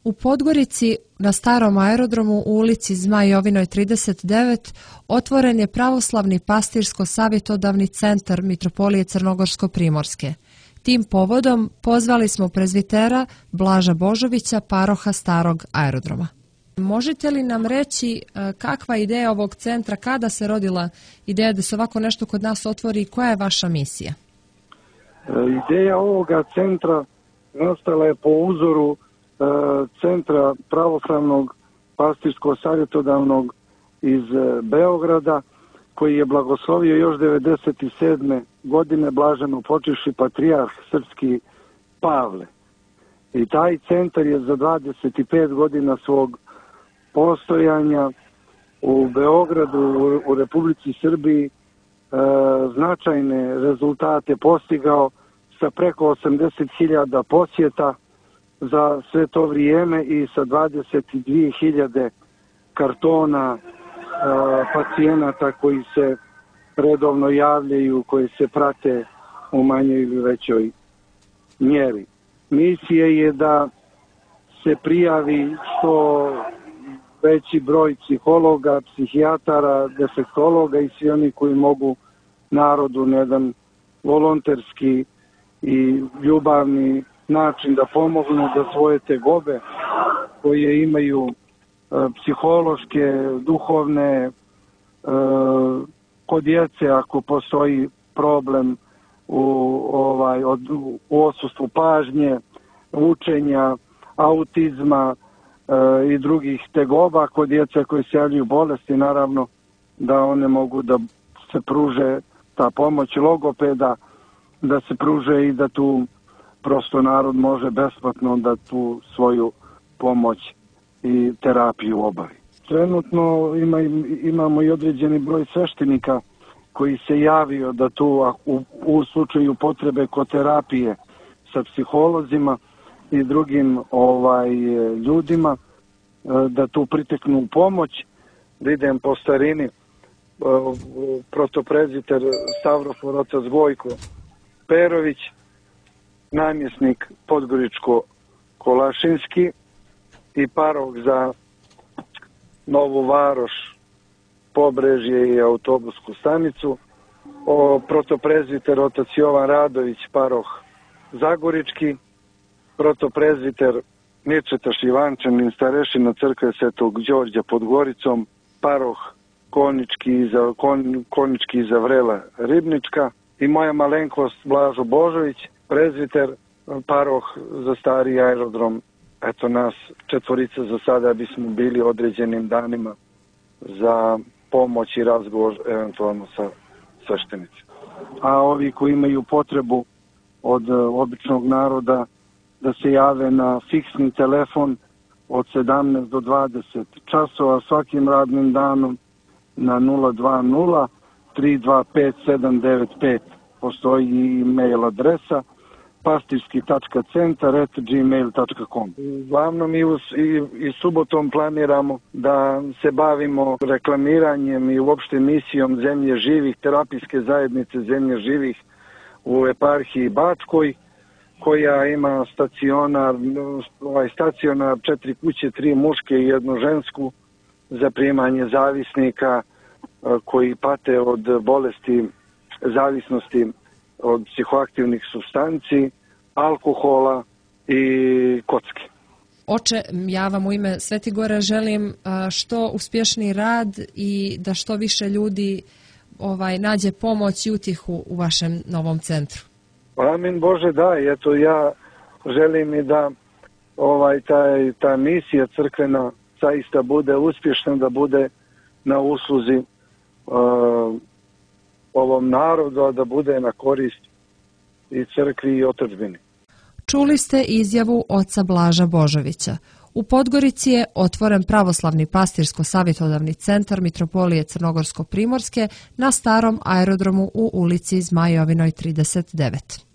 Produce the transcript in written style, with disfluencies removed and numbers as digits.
U Podgorici, na starom aerodromu u ulici Zmaj Jovinoj 39, otvoren je pravoslavni pastirsko-savjetodavni centar Mitropolije Crnogorsko-Primorske. Tim povodom pozvali smo prezvitera Blaža Božovića, paroha starog aerodroma. Možete li nam reći kakva je ideja ovog centra, kada se rodila ideja da se ovako nešto kod nas otvori i koja je vaša misija? Ideja ovoga centra nastala je po uzoru centra pravoslavnog pastirsko-savjetodavnog iz Beograda, koji je blagoslovio još 1997. godine blaženo počivši patrijarh srpski Pavle. I taj centar je za 25 godina svog postojanja u Beogradu, u Republici Srbiji, značajne rezultate postigao sa preko 80.000 posjeta za sve to vrijeme i sa 22.000 kartona pacijenata koji se redovno javljaju, koji se prate u manjoj ili većoj mjeri. Misija je da se prijavi što veći broj psihologa, psihijatara, defektologa i svi oni koji mogu narodu na jedan volonterski i ljubavni način da pomognu da svoje tegobe koje imaju psihološke, duhovne, kod djece ako postoji problem u odsustvu pažnje, učenja, autizma i drugih tegoba, kod djece koji se javljaju bolesti, naravno da one mogu da se pruže ta pomoć logopeda, da se pruže i da tu prosto narod može besplatno da tu svoju pomoć i terapiju obavi. Trenutno imamo i određeni broj sveštenika koji se javio da tu u slučaju potrebe kod terapije sa psiholozima i drugim ljudima da tu priteknu u pomoć. Da idem po starini, protoprezbiter Stavrofor otac Gojko Perović, namjesnik Podgoričko-Kolašinski i paroh za Novu Varoš, Pobrežje i autobusku stanicu, protoprezbiter otac Jovan Radović, paroh Zagorički, protoprezbiter Mirčeta Šivančanin, starešina crkve Svetog Đorđa pod Goricom, paroh Konjički iza Vrela Ribnička i moja malenkost Blažo Božović, prezbiter, paroh za stari aerodrom. Eto nas četvorica za sada bismo bili određenim danima za pomoć i razgovor eventualno sa sveštenicima. A ovi koji imaju potrebu od običnog naroda da se jave na fiksni telefon od 17 do 20 časova svakim radnim danom na 020 325 795. Postoji i e-mail adresa pastirski.centar@gmail.com. Uglavnom i subotom planiramo da se bavimo reklamiranjem i uopšte misijom Zemlje živih, terapijske zajednice Zemlje živih u eparhiji Bačkoj, koja ima stacionar 4 kuće, 3 muške i 1 žensku za primanje zavisnika koji pate od bolesti zavisnosti od psihoaktivnih supstanci, alkohola i kocke. Oče, ja vam u ime Svetigora želim što uspješniji rad i da što više ljudi nađe pomoć i utjehu u vašem novom centru. Amin Bože, da, eto ja želim i da ta misija crkvena zaista bude uspješna, da bude na usluzi ovom narodu, da bude na korist i crkvi i otadžbini. Čuli ste izjavu oca Blaža Božovića. U Podgorici je otvoren pravoslavni pastirsko-savjetodavni centar Mitropolije Crnogorsko-Primorske na starom aerodromu u ulici Zmaj Jovinoj 39.